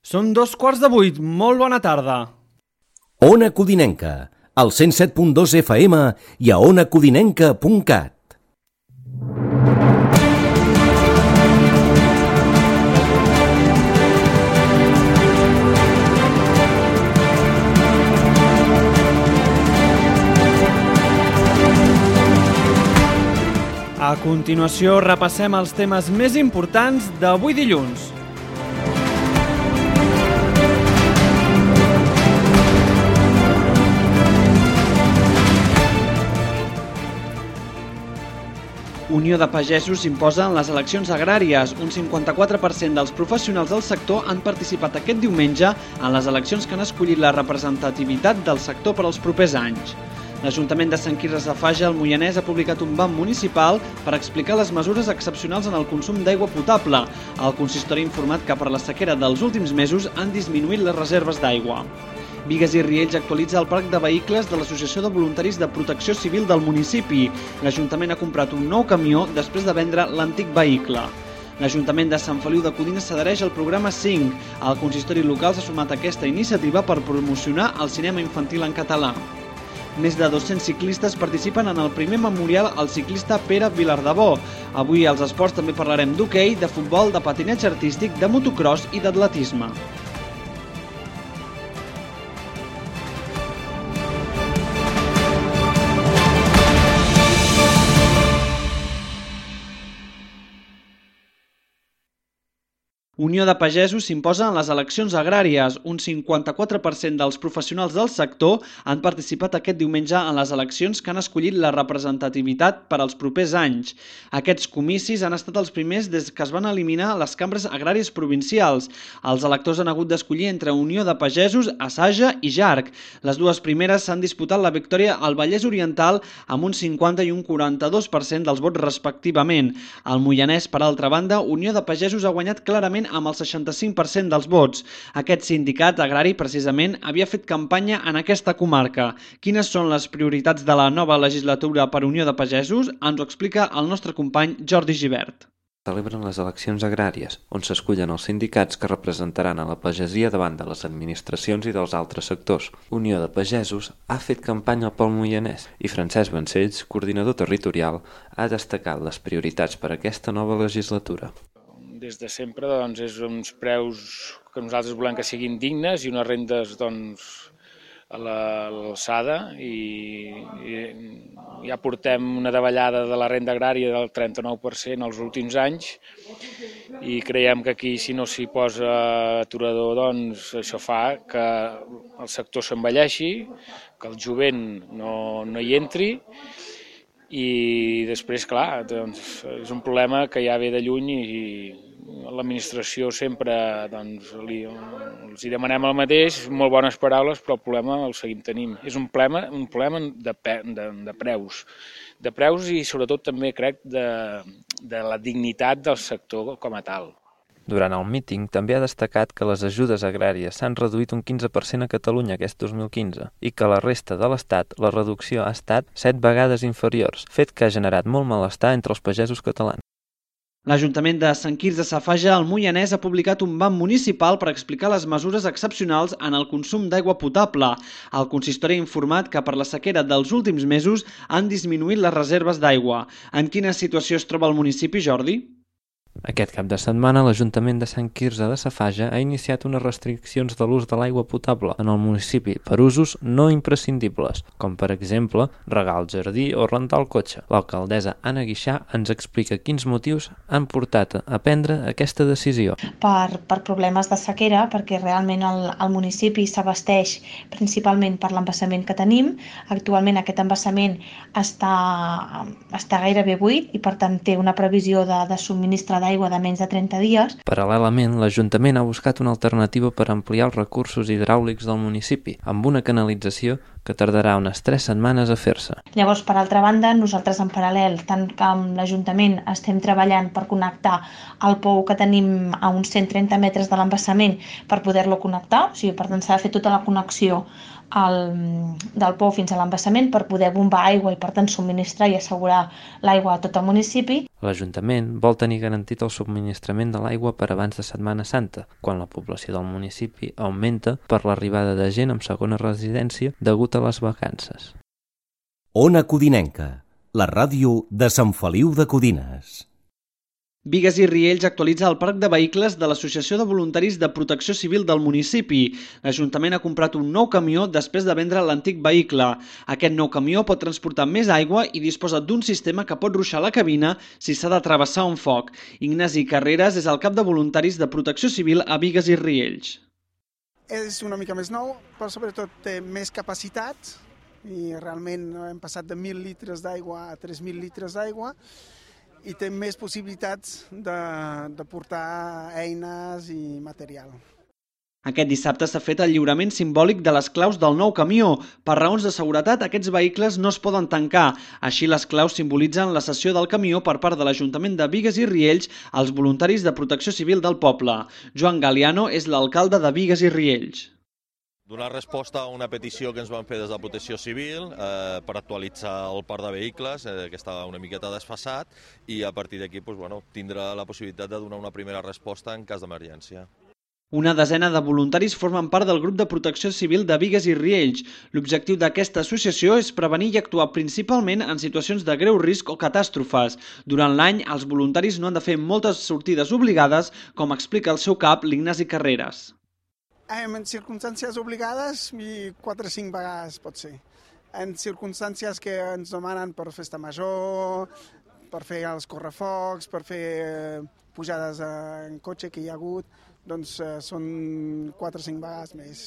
Són 2:15, molt bona tarda. Ona Codinenca, al 107.2 FM i a onacodinenca.cat. A continuació repassem els temes més importants d'avui dilluns. Unió de Pagesos imposa en les eleccions agràries. Un 54% dels professionals del sector han participat aquest diumenge en les eleccions que han escollit la representativitat del sector per als propers anys. L'Ajuntament de Sant Quirze Safaja, al Moianès, ha publicat un banc municipal per explicar les mesures excepcionals en el consum d'aigua potable. El consistori ha informat que per la sequera dels últims mesos han disminuït les reserves d'aigua. Bigues i Riells actualitza el parc de vehicles de l'Associació de Voluntaris de Protecció Civil del municipi. L'Ajuntament ha comprat un nou camió després de vendre l'antic vehicle. L'Ajuntament de Sant Feliu de Codines s'adhereix al programa 5. El consistori local s'ha sumat a aquesta iniciativa per promocionar el cinema infantil en català. Més de 200 ciclistes participen en el primer memorial al ciclista Pere Vilardebó. Avui als esports també parlarem d'hoquei, de futbol, de patinatge artístic, de motocross i d'atletisme. Unió de Pagesos s'imposa en les eleccions agràries. Un 54% dels professionals del sector han participat aquest diumenge en les eleccions que han escollit la representativitat per als propers anys. Aquests comicis han estat els primers des que es van eliminar les cambres agràries provincials. Els electors han hagut d'escollir entre Unió de Pagesos, Asaja i JARC. Les dues primeres s'han disputat la victòria al Vallès Oriental amb un 50 i un 42% dels vots respectivament. Al Moianès, per altra banda, Unió de Pagesos ha guanyat clarament amb el 65% dels vots. Aquest sindicat agrari, precisament, havia fet campanya en aquesta comarca. Quines són les prioritats de la nova legislatura per Unió de Pagesos? Ens ho explica el nostre company Jordi Gibert. Celebren les eleccions agràries, on s'escullen els sindicats que representaran a la pagesia davant de les administracions i dels altres sectors. Unió de Pagesos ha fet campanya pel Moianès i Francesc Vancells, coordinador territorial, ha destacat les prioritats per a aquesta nova legislatura. Des de sempre és uns preus que nosaltres volem que siguin dignes i unes rendes a l'alçada i ja portem una davallada de la renda agrària del 39% els últims anys i creiem que aquí si no s'hi posa aturador això fa que el sector s'envelleixi, que el jovent no hi entri i després, clar, és un problema que ja ve de lluny i l'administració sempre els hi demanem el mateix, molt bones paraules, però el problema el seguim tenint. És un problema de preus i sobretot també crec de la dignitat del sector com a tal. Durant el míting també ha destacat que les ajudes agràries s'han reduït un 15% a Catalunya aquest 2015 i que a la resta de l'Estat la reducció ha estat 7 vegades inferiors, fet que ha generat molt malestar entre els pagesos catalans. L'Ajuntament de Sant Quirze Safaja, al Moianès, ha publicat un banc municipal per explicar les mesures excepcionals en el consum d'aigua potable. El consistori ha informat que per la sequera dels últims mesos han disminuït les reserves d'aigua. En quina situació es troba el municipi, Jordi? Aquest cap de setmana, l'Ajuntament de Sant Quirze de Safaja ha iniciat unes restriccions de l'ús de l'aigua potable en el municipi per usos no imprescindibles, com per exemple regar el jardí o rentar el cotxe. L'alcaldessa Anna Guixà ens explica quins motius han portat a prendre aquesta decisió. Per problemes de sequera, perquè realment el municipi s'abasteix principalment per l'embassament que tenim. Actualment aquest embassament està gairebé buit i per tant té una previsió de subministrar d'aigua de menys de 30 dies. Paral·lelament, l'Ajuntament ha buscat una alternativa per ampliar els recursos hidràulics del municipi, amb una canalització que tardarà unes 3 setmanes a fer-se. Llavors, per altra banda, nosaltres en paral·lel, tant que amb l'Ajuntament estem treballant per connectar el pou que tenim a uns 130 metres de l'embassament per poder-lo connectar, o sigui, per tant s'ha de fer tota la connexió del pou fins a l'embassament per poder bombar aigua i per tant subministrar i assegurar l'aigua a tot el municipi. L'Ajuntament vol tenir garantit el subministrament de l'aigua per abans de Setmana Santa, quan la població del municipi augmenta per l'arribada de gent amb segona residència degut a les vacances. Ona Codinenca, la ràdio de Sant Feliu de Codines. Bigues i Riells actualitza el parc de vehicles de l'Associació de Voluntaris de Protecció Civil del municipi. L'Ajuntament ha comprat un nou camió després de vendre l'antic vehicle. Aquest nou camió pot transportar més aigua i disposa d'un sistema que pot ruixar la cabina si s'ha de travessar un foc. Ignasi Carreras és el cap de Voluntaris de Protecció Civil a Bigues i Riells. És una mica més nou, però sobretot té més capacitat i realment hem passat de 1.000 litres d'aigua a 3.000 litres d'aigua i té més possibilitats de portar eines i material. Aquest dissabte s'ha fet el lliurament simbòlic de les claus del nou camió. Per raons de seguretat, aquests vehicles no es poden tancar. Així, les claus simbolitzen la cessió del camió per part de l'Ajuntament de Bigues i Riells als voluntaris de Protecció Civil del poble. Joan Galiano és l'alcalde de Bigues i Riells. Donar resposta a una petició que ens van fer des de Protecció Civil per actualitzar el parc de vehicles, que estava una miqueta desfasat, i a partir d'aquí tindrà la possibilitat de donar una primera resposta en cas d'emergència. Una desena de voluntaris formen part del grup de protecció civil de Bigues i Riells. L'objectiu d'aquesta associació és prevenir i actuar principalment en situacions de greu risc o catàstrofes. Durant l'any, els voluntaris no han de fer moltes sortides obligades, com explica el seu cap, l'Ignasi Carreras. En circumstàncies obligades, 4 o 5 vegades pot ser. En circumstàncies que ens demanen per festa major, per fer els correfocs, per fer pujades en cotxe que hi ha hagut, doncs són 4 o 5 vegades més.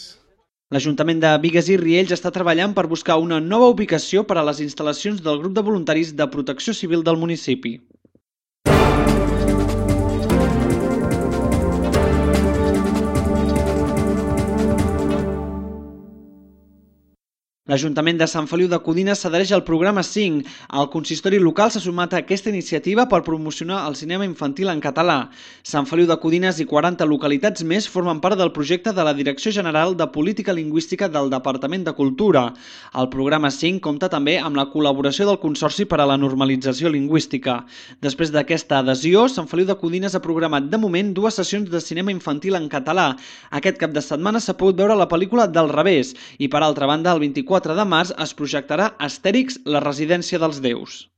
L'Ajuntament de Bigues i Riells està treballant per buscar una nova ubicació per a les instal·lacions del grup de voluntaris de protecció civil del municipi. L'Ajuntament de Sant Feliu de Codines s'adhereix al programa 5. El consistori local s'ha sumat a aquesta iniciativa per promocionar el cinema infantil en català. Sant Feliu de Codines i 40 localitats més formen part del projecte de la Direcció General de Política Lingüística del Departament de Cultura. El programa 5 compta també amb la col·laboració del Consorci per a la Normalització Lingüística. Després d'aquesta adhesió, Sant Feliu de Codines ha programat de moment 2 sessions de cinema infantil en català. Aquest cap de setmana s'ha pogut veure la pel·lícula Del revés i, per altra banda, el 24 de març es projectarà Astèrix, la residència dels déus.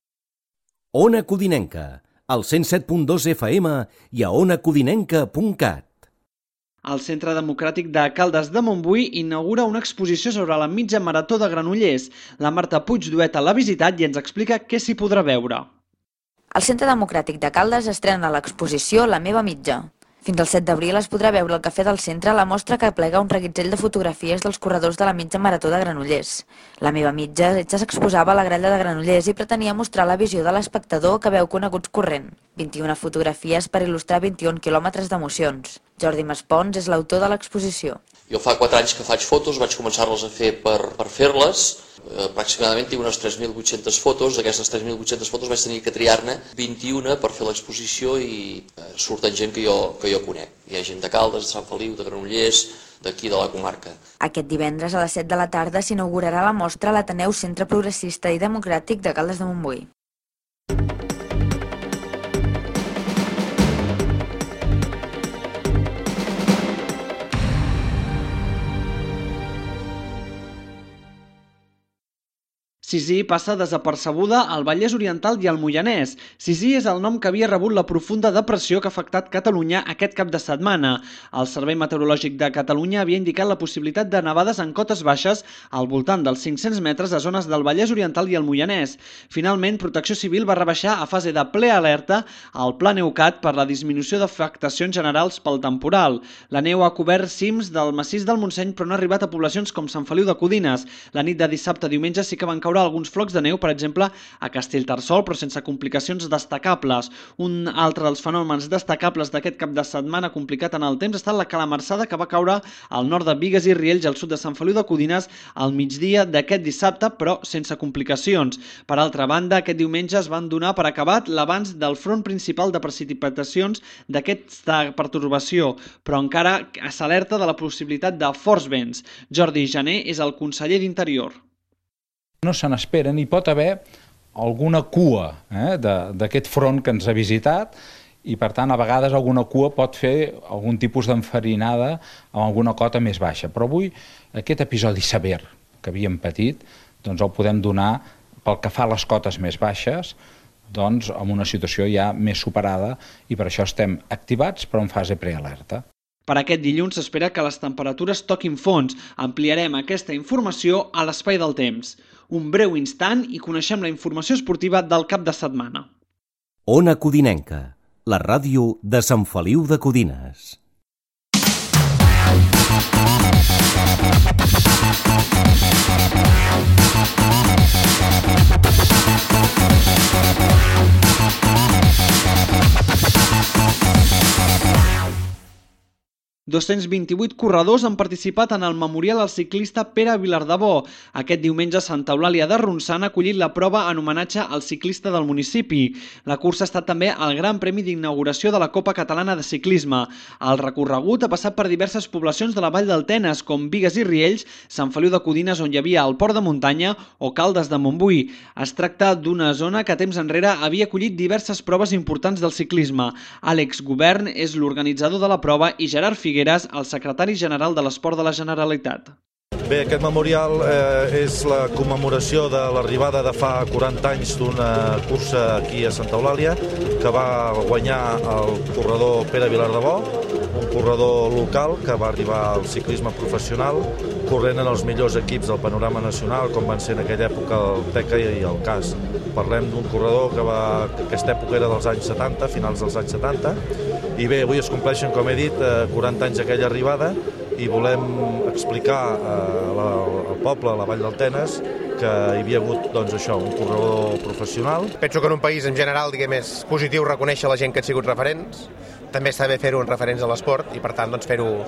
Ona Codinenca, al 107.2 FM i a onacodinenca.cat. El Centre Democràtic de Caldes de Montbui inaugura una exposició sobre la mitja marató de Granollers. La Marta Puigdueta l'ha visitat i ens explica què s'hi podrà veure. El Centre Democràtic de Caldes estrena l'exposició La meva mitja. Fins al 7 d'abril es podrà veure al Cafè del Centre la mostra que plega un reguitzell de fotografies dels corredors de la mitja marató de Granollers. La meva mitja s'exposava a la gralla de Granollers i pretenia mostrar la visió de l'espectador que veu coneguts corrent. 21 fotografies per il·lustrar 21 quilòmetres d'emocions. Jordi Maspons és l'autor de l'exposició. Jo fa 4 anys que faig fotos, vaig començar-les a fer per fer-les. Aproximadament tinc unes 3.800 fotos. D'aquestes 3.800 fotos vaig tenir que triar-ne 21 per fer l'exposició i surten gent que jo conec. Hi ha gent de Caldes, de Sant Feliu, de Granollers, d'aquí de la comarca. Aquest divendres a les 7 de la tarda s'inaugurarà la mostra a l'Ateneu Centre Progressista i Democràtic de Caldes de Montbui. Sisí passa desapercebuda al Vallès Oriental i al Moianès. Sisí és el nom que havia rebut la profunda depressió que ha afectat Catalunya aquest cap de setmana. El Servei Meteorològic de Catalunya havia indicat la possibilitat de nevades en cotes baixes al voltant dels 500 metres a zones del Vallès Oriental i el Moianès. Finalment, Protecció Civil va rebaixar a fase de ple alerta al Pla Neucat per la disminució d'afectacions generals pel temporal. La neu ha cobert cims del massís del Montseny però no ha arribat a poblacions com Sant Feliu de Codines. La nit de dissabte a diumenge sí que van caure veure alguns flocs de neu, per exemple, a Castellterçol, però sense complicacions destacables. Un altre dels fenòmens destacables d'aquest cap de setmana complicat en el temps ha estat la calamarsada que va caure al nord de Bigues i Riells, al sud de Sant Feliu de Codines, al migdia d'aquest dissabte, però sense complicacions. Per altra banda, aquest diumenge es van donar per acabat l'avanç del front principal de precipitacions d'aquesta pertorbació, però encara s'alerta de la possibilitat de forts vents. Jordi Jané és el conseller d'Interior. No se n'espera, ni pot haver alguna cua d'aquest front que ens ha visitat i, per tant, a vegades alguna cua pot fer algun tipus d'enfarinada amb alguna cota més baixa. Però avui aquest episodi sever que havíem patit doncs el podem donar pel que fa a les cotes més baixes, doncs amb una situació ja més superada i per això estem activats però en fase prealerta. Per aquest dilluns s'espera que les temperatures toquin fons. Ampliarem aquesta informació a l'espai del temps. Un breu instant i coneixem la informació esportiva del cap de setmana. Ona Codinenca, la ràdio de Sant Feliu de Codines. ...228 corredors han participat en el memorial al ciclista Pere Vilardebó. Aquest diumenge Santa Eulàlia de Ronçana ha acollit la prova en homenatge al ciclista del municipi. La cursa ha estat també el Gran Premi d'inauguració de la Copa Catalana de Ciclisme. El recorregut ha passat per diverses poblacions de la Vall del Tenes, com Bigues i Riells, Sant Feliu de Codines, on hi havia el Port de Muntanya, o Caldes de Montbui. Es tracta d'una zona que temps enrere havia acollit diverses proves importants del ciclisme. Àlex Govern és l'organitzador de la prova i Gerard Figueres, el secretari general de l'Esport de la Generalitat. Bé, aquest memorial és la commemoració de l'arribada de fa 40 anys d'una cursa aquí a Santa Eulàlia que va guanyar el corredor Pere Vilardebó, un corredor local que va arribar al ciclisme professional corrent en els millors equips del panorama nacional, com van ser en aquella època el Teca i el CAS. Parlem d'un corredor que aquesta època era dels anys 70, finals dels anys 70, i bé, avui es compleixen, com he dit, 40 anys d'aquella arribada i volem explicar al poble, a la Vall del Tenes, que hi havia hagut doncs, això, un corredor professional. Penso que en un país en general és positiu reconèixer la gent que ha sigut referents, també està bé fer-ho en referents a l'esport i per tant doncs, fer-ho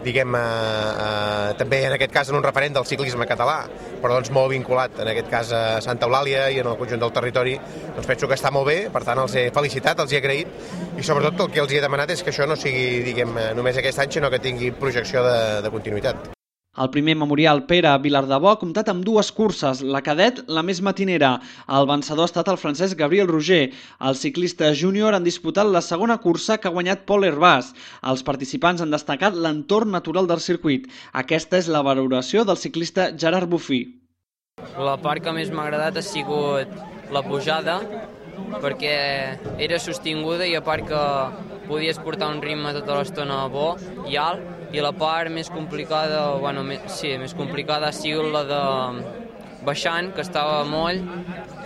també en aquest cas en un referent del ciclisme català, però doncs molt vinculat en aquest cas a Santa Eulàlia i en el conjunt del territori, doncs penso que està molt bé, per tant els he felicitat, els he agraït i sobretot el que els he demanat és que això no sigui només aquest any, sinó que tingui projecció de continuïtat. El primer memorial Pere Vilardebó ha comptat amb dues curses, la cadet, la més matinera. El vencedor ha estat el francès Gabriel Roger. Els ciclistes júnior han disputat la segona cursa que ha guanyat Pol Hervàs. Els participants han destacat l'entorn natural del circuit. Aquesta és la valoració del ciclista Gerard Bufí. La part que més m'ha agradat ha sigut la pujada, perquè era sostinguda i a part que podies portar un ritme tota l'estona bo i alt, i la part més complicada, més complicada ha sigut la de baixant, que estava moll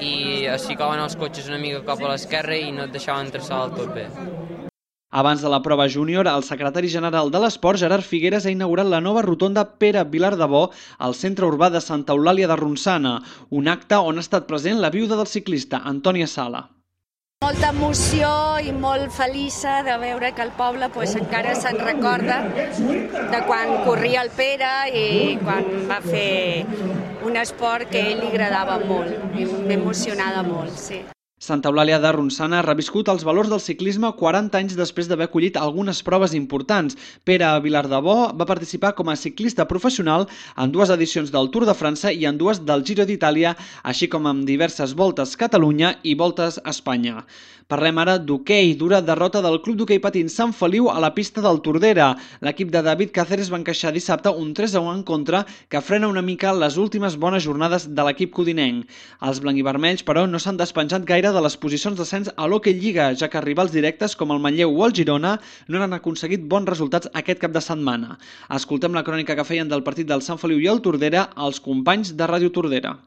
i es ficaven els cotxes una mica cap a l'esquerra i no et deixaven traçar del tot bé. Abans de la prova júnior, el secretari general de l'Esport, Gerard Figueres, ha inaugurat la nova rotonda Pere Vilardebó al centre urbà de Santa Eulàlia de Ronçana, un acte on ha estat present la viuda del ciclista, Antònia Sala. Molta emoció i molt feliça de veure que el poble encara se'n recorda de quan corria el Pere i quan va fer un esport que a ell li agradava molt i m'emocionava molt, sí. Santa Eulàlia de Ronçana ha reviscut els valors del ciclisme 40 anys després d'haver acollit algunes proves importants. Pere Vilardebó va participar com a ciclista professional en 2 edicions del Tour de França i en 2 del Giro d'Itàlia, així com amb diverses voltes Catalunya i voltes a Espanya. Parlem ara d'hoquei, dura derrota del Club d'Hoquei Patins Sant Feliu a la pista del Tordera. L'equip de David Cáceres va encaixar dissabte un 3-1 en contra que frena una mica les últimes bones jornades de l'equip codinenc. Els blanc-i-vermells, però, no s'han despenjat gaire de les posicions d'ascens a l'Hoquei Lliga, ja que rivals directes com el Manlleu o el Girona no han aconseguit bons resultats aquest cap de setmana. Escoltem la crònica que feien del partit del Sant Feliu i el Tordera els companys de Ràdio Tordera.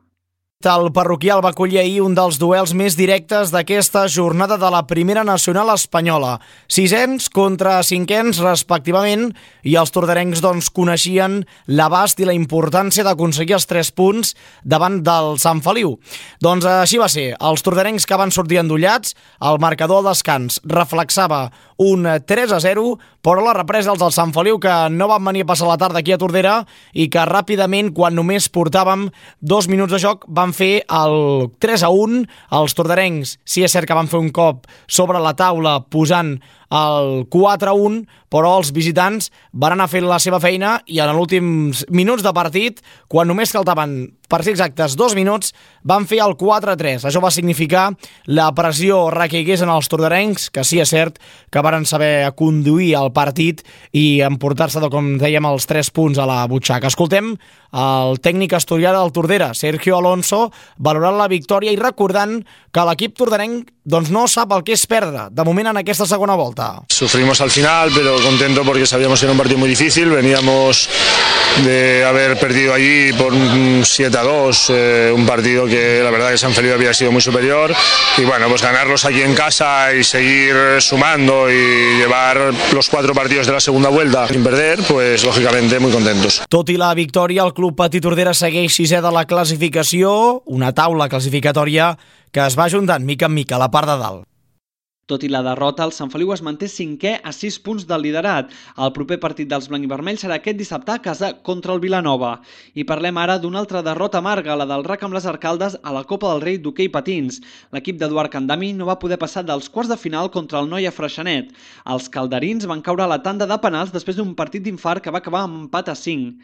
El parroquial va acollir ahir un dels duels més directes d'aquesta jornada de la Primera Nacional espanyola. Sisens contra cinquens, respectivament, i els tordarencs coneixien l'abast i la importància d'aconseguir els 3 punts davant del Sant Feliu. Doncs així va ser. Els tordarencs que van sortir endollats, el marcador al descans reflexava un 3-0, però la represa els del Sant Feliu, que no van venir a passar la tarda aquí a Tordera i que ràpidament, quan només portàvem 2 minuts de joc, van fer el 3-1. Els tordarencs, sí és cert que van fer un cop sobre la taula posant el 4-1, però els visitants van anar fent la seva feina i en els últims minuts de partit, quan només faltaven, per ser exactes, 2 minuts, van fer el 4-3. Això va significar la pressió recaigués en els tordarencs, que sí és cert que varen saber conduir el partit i emportar-se, com dèiem, els 3 punts a la butxaca. Escoltem el tècnic asturià del Tordera, Sergio Alonso, valorant la victòria i recordant que l'equip tordarenc no sap el que és perdre, de moment en aquesta segona volta. Sufrimos al final, pero contento porque sabíamos que era un partido muy difícil. Veníamos de haber perdido allí por 7-2, un partido que la verdad que San Feliu había sido muy superior. Y bueno, pues ganarlos aquí en casa y seguir sumando y llevar los 4 partidos de la segunda vuelta sin perder, pues lógicamente muy contentos. Tot i la victòria, el Club Patí Tordera segueix 6è de la classificació, una taula classificatòria que es va ajuntant mica en mica a la part de dalt. Tot i la derrota, el Sant Feliu es manté 5è a 6 punts del liderat. El proper partit dels blanc i vermells serà aquest dissabte a casa contra el Vilanova. I parlem ara d'una altra derrota amarga, la del RAC amb les Arcaldes a la Copa del Rei d'hoquei patins. L'equip d'Eduard Candami no va poder passar dels quarts de final contra el Noia Freixenet. Els calderins van caure a la tanda de penals després d'un partit d'infart que va acabar amb empat a 5.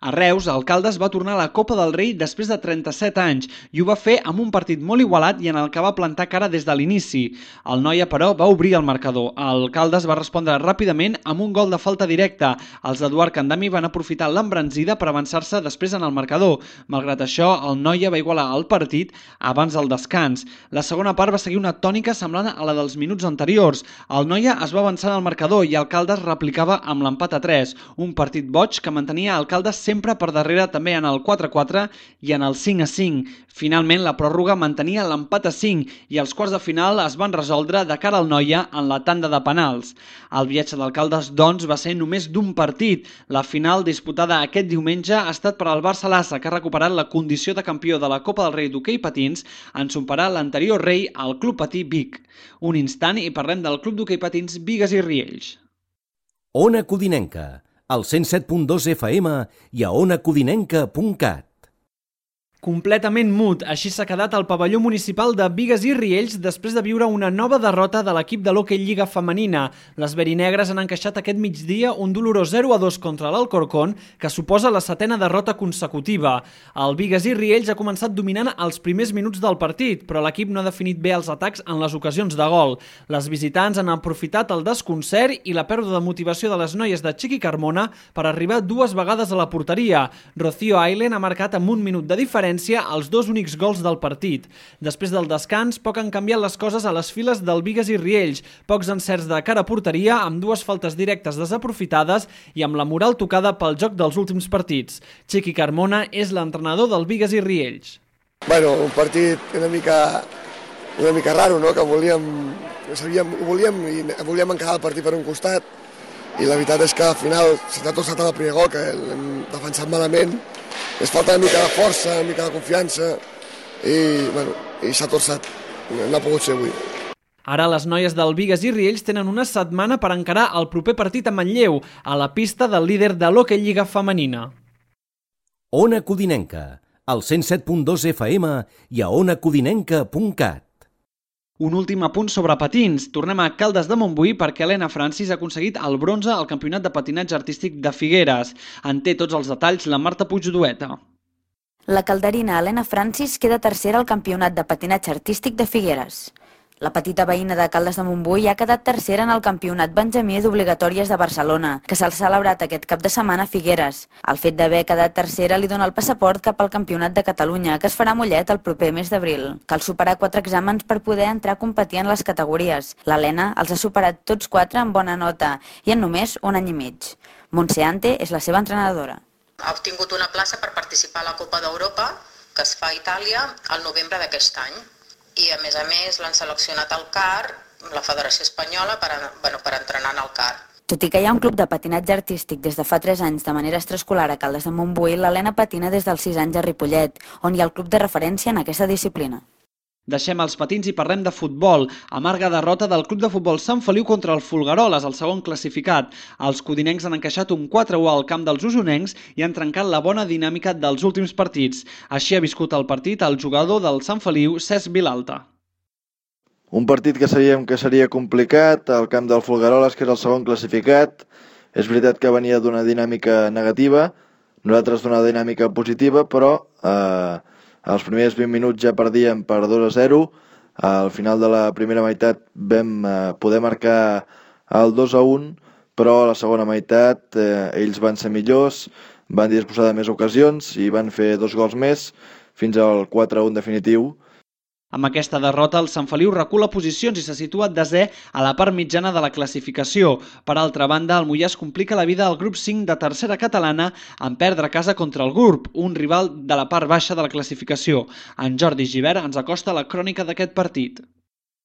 A Reus, el Caldes va tornar a la Copa del Rei després de 37 anys i ho va fer amb un partit molt igualat i en el que va plantar cara des de l'inici. El Noia, però, va obrir el marcador. El Caldes va respondre ràpidament amb un gol de falta directa. Els d'Eduard Candami van aprofitar l'embranzida per avançar-se després en el marcador. Malgrat això, el Noia va igualar el partit abans del descans. La segona part va seguir una tònica semblant a la dels minuts anteriors. El Noia es va avançar en el marcador i el Caldes replicava amb l'empat a 3. Un partit boig que mantenia el Caldes sempre per darrere també en el 4-4 i en el 5-5. Finalment, la pròrroga mantenia l'empat a 5 i els quarts de final es van resoldre de cara al Noia en la tanda de penals. El viatge del Caldes, doncs, va ser només d'un partit. La final, disputada aquest diumenge, ha estat per al Barça Lassa, que ha recuperat la condició de campió de la Copa del Rei d'hoquei patins en superar l'anterior rei, el Club Patí Vic. Un instant i parlem del Club d'hoquei patins Bigues i Riells. Ona Codinenca, al 107.2 FM i a onacodinenca.cat. Completament mut, així s'ha quedat el pavelló municipal de Bigues i Riells després de viure una nova derrota de l'equip de l'hoquei Lliga femenina. Les verinegres han encaixat aquest migdia un dolorós 0-2 contra l'Alcorcón, que suposa la 7ª derrota consecutiva. El Bigues i Riells ha començat dominant els primers minuts del partit, però l'equip no ha definit bé els atacs en les ocasions de gol. Les visitants han aprofitat el desconcert i la pèrdua de motivació de les noies de Chiqui Carmona per arribar 2 vegades a la porteria. Rocío Ailen ha marcat amb 1 minut de diferència els 2 únics gols del partit. Després del descans, poc han canviat les coses a les files del Bigues i Riells, pocs encerts de cara a porteria, amb 2 faltes directes desaprofitades i amb la moral tocada pel joc dels últims partits. Chiqui Carmona és l'entrenador del Bigues i Riells. Bueno, un partit una mica raro, no? Que volíem encarar el partit per un costat i la veritat és que al final s'ha tot saltat el primer gol, que l'hem defensat malament. Es falta una mica de força, una mica de confiança i s'ha torçat. No ha pogut ser avui. Ara les noies del Bigues i Riells tenen una setmana per encarar el proper partit a Manlleu, a la pista del líder de l'hoquei Lliga femenina. Ona Codinenca, al 107.2 FM i a onacodinenca.cat. Un últim apunt sobre patins. Tornem a Caldes de Montbui perquè Elena Francis ha aconseguit el bronze al Campionat de Patinatge Artístic de Figueres. En té tots els detalls la Marta Puigdueta. La calderina Elena Francis queda tercera al Campionat de Patinatge Artístic de Figueres. La petita veïna de Caldes de Montbui ha quedat tercera en el Campionat Benjamí d'Obligatòries de Barcelona, que s'ha celebrat aquest cap de setmana a Figueres. El fet d'haver quedat tercera li dona el passaport cap al Campionat de Catalunya, que es farà a Mollet el proper mes d'abril. Cal superar 4 exàmens per poder entrar a competir en les categories. L'Helena els ha superat tots 4 amb bona nota i en només 1 any i mig. Montse Ante és la seva entrenadora. Ha obtingut una plaça per participar a la Copa d'Europa que es fa a Itàlia al novembre d'aquest any. I a més l'han seleccionat al CAR, la Federació Espanyola, per entrenar en el CAR. Tot i que hi ha un club de patinatge artístic des de fa 3 anys de manera extraescolar a Caldes de Montbui, l'Helena patina des dels 6 anys a Ripollet, on hi ha el club de referència en aquesta disciplina. Deixem els patins i parlem de futbol. Amarga derrota del Club de Futbol Sant Feliu contra el Folgueroles, el segon classificat. Els codinencs han encaixat un 4-1 al camp dels usonencs i han trencat la bona dinàmica dels últims partits. Així ha viscut el partit el jugador del Sant Feliu, Cesc Vilalta. Un partit que sabíem que seria complicat, al camp del Folgueroles, que és el segon classificat. És veritat que venia d'una dinàmica negativa, nosaltres d'una dinàmica positiva, però als primers 20 minuts ja perdíem per 2-0. Al final de la primera meitat vam poder marcar el 2-1, però a la segona meitat ells van ser millors, van disposar de més ocasions i van fer 2 gols més fins al 4-1 definitiu. Amb aquesta derrota, el Sant Feliu recula posicions i se situa desè a la part mitjana de la classificació. Per altra banda, el Moià es complica la vida al grup 5 de tercera catalana en perdre a casa contra el GURB, un rival de la part baixa de la classificació. En Jordi Givert ens acosta la crònica d'aquest partit.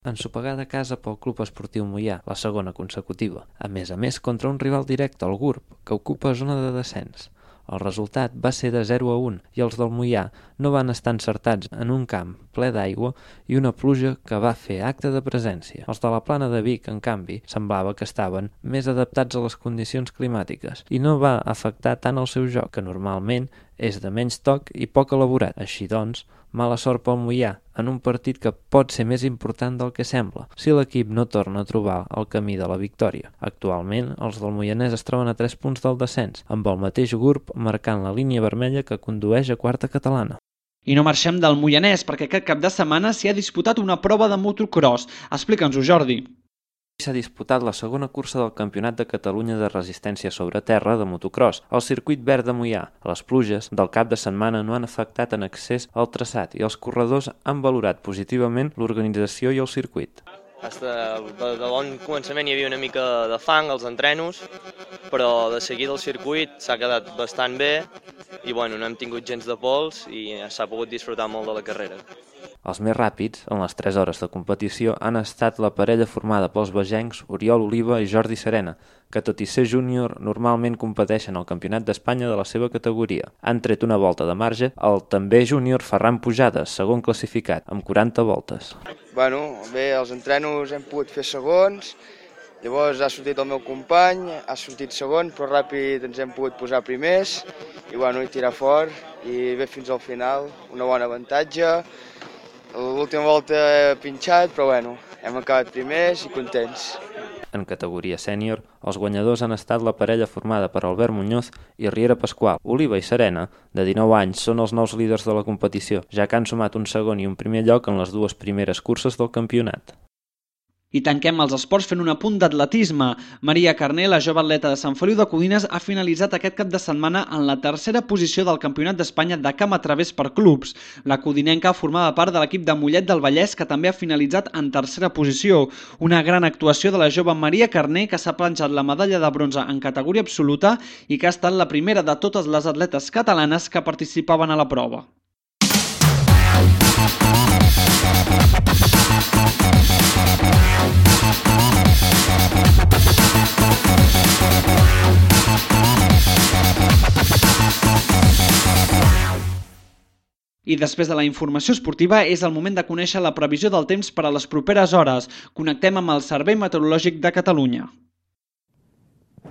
Ensopegada a casa pel Club Esportiu Moià, la segona consecutiva. A més, contra un rival directe, el GURB, que ocupa zona de descens. El resultat va ser de 0-1 i els del Moià no van estar encertats en un camp ple d'aigua i una pluja que va fer acte de presència. Els de la Plana de Vic, en canvi, semblava que estaven més adaptats a les condicions climàtiques i no va afectar tant el seu joc, que normalment és de menys toc i poc elaborat. Així doncs, mala sort pel Moià en un partit que pot ser més important del que sembla, si l'equip no torna a trobar el camí de la victòria. Actualment, els del Moianès es troben a 3 punts del descens, amb el mateix GURB marcant la línia vermella que condueix a quarta catalana. I no marxem del Moianès, perquè aquest cap de setmana s'hi ha disputat una prova de motocross. Explica'ns-ho, Jordi. S'ha disputat la segona cursa del Campionat de Catalunya de resistència sobre terra de motocross, al circuit verd de Moià. Les pluges del cap de setmana no han afectat en excés el traçat i els corredors han valorat positivament l'organització i el circuit. De bon començament hi havia una mica de fang als entrenos, però de seguida el circuit s'ha quedat bastant bé i no hem tingut gens de pols i s'ha pogut disfrutar molt de la carrera. Els més ràpids, en les 3 hores de competició, han estat la parella formada pels bagencs Oriol Oliva i Jordi Serena, que tot i ser júnior normalment competeixen al Campionat d'Espanya de la seva categoria. Han tret una volta de marge el també júnior Ferran Pujades, segon classificat, amb 40 voltes. Bé, els entrenos hem pogut fer segons, llavors ha sortit el meu company, ha sortit segon, però ràpid ens hem pogut posar primers i tirar fort i bé fins al final, una bona avantatge. L'última volta he pinxat, però hem acabat primers i contents. En categoria sènior, els guanyadors han estat la parella formada per Albert Muñoz i Riera Pasqual. Oliva i Serena, de 19 anys, són els nous líders de la competició, ja que han sumat un segon i un primer lloc en les 2 primeres curses del campionat. I tanquem els esports fent un apunt d'atletisme. Maria Carné, la jove atleta de Sant Feliu de Codines, ha finalitzat aquest cap de setmana en la tercera posició del Campionat d'Espanya de camp a través per clubs. La codinenca formava part de l'equip de Mollet del Vallès, que també ha finalitzat en tercera posició. Una gran actuació de la jove Maria Carné, que s'ha planxat la medalla de bronze en categoria absoluta i que ha estat la primera de totes les atletes catalanes que participaven a la prova. I després de la informació esportiva és el moment de conèixer la previsió del temps per a les properes hores. Connectem amb el Servei Meteorològic de Catalunya.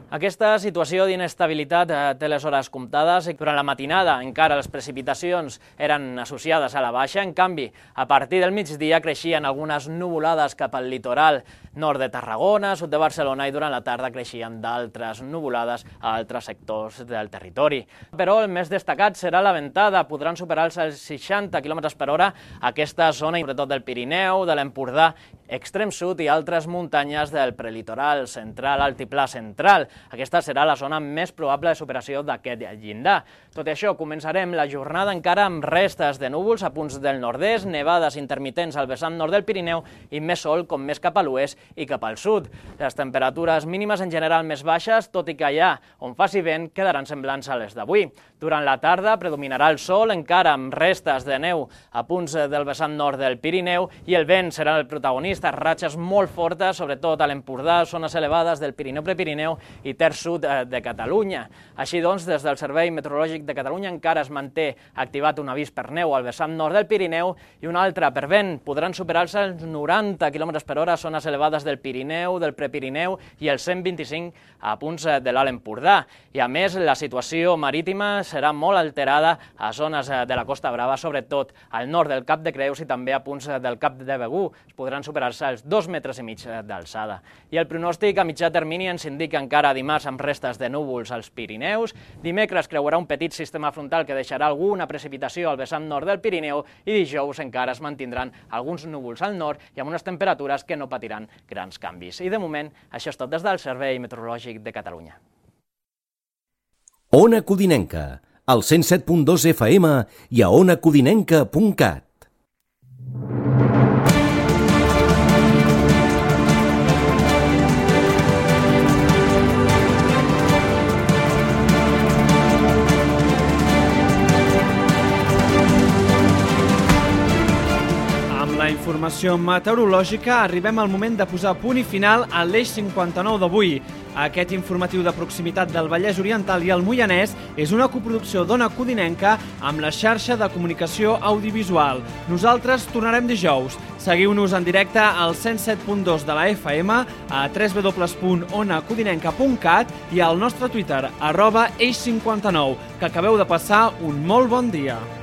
Aquesta situació d'inestabilitat té les hores comptades. Durant la matinada encara les precipitacions eren associades a la baixa, en canvi, a partir del migdia creixien algunes nuvolades cap al litoral nord de Tarragona, sud de Barcelona, i durant la tarda creixien d'altres nuvolades a altres sectors del territori. Però el més destacat serà la ventada. Podran superar els 60 km per hora aquesta zona, sobretot del Pirineu, de l'Empordà extrem sud i altres muntanyes del prelitoral central, altiplà central. Aquesta serà la zona més probable de superació d'aquest llindar. Tot i això, començarem la jornada encara amb restes de núvols a punts del nord-est, nevades intermitents al vessant nord del Pirineu i més sol com més cap a l'oest i cap al sud. Les temperatures mínimes en general més baixes, tot i que allà on faci vent quedaran semblants a les d'avui. Durant la tarda predominarà el sol, encara amb restes de neu a punts del vessant nord del Pirineu, i el vent serà el protagonista, ratxes molt fortes, sobretot a l'Empordà, zones elevades del Pirineu-Prepirineu i terç sud de Catalunya. Així doncs, des del Servei Meteorològic de Catalunya encara es manté activat un avís per neu al vessant nord del Pirineu i un altre per vent. Podran superar-se els 90 km per hora a zones elevades del Pirineu, del Prepirineu i els 125 a punts de l'Alt Empordà. I a més, la situació marítima serà molt alterada a zones de la Costa Brava, sobretot al nord del Cap de Creus i també a punts del Cap de Begur. Es podran superar-se els 2,5 metres d'alçada. I el pronòstic a mitjà termini ens indica encara dimarts amb restes de núvols als Pirineus. Dimecres creuarà un petit sistema frontal que deixarà alguna precipitació al vessant nord del Pirineu i dijous encara es mantindran alguns núvols al nord i amb unes temperatures que no patiran grans canvis. I de moment, això és tot des del Servei Meteorològic de Catalunya. Ona Codinenca, al 107.2 FM i a onacodinenca.cat. Informació meteorològica, arribem al moment de posar punt i final a l'Eix 59 d'avui. Aquest informatiu de proximitat del Vallès Oriental i el Moianès és una coproducció d'Ona Codinenca amb la xarxa de comunicació audiovisual. Nosaltres tornarem dijous. Seguiu-nos en directe al 107.2 de la FM, a www.onacodinenca.cat i al nostre Twitter, @eix59. Que acabeu de passar un molt bon dia.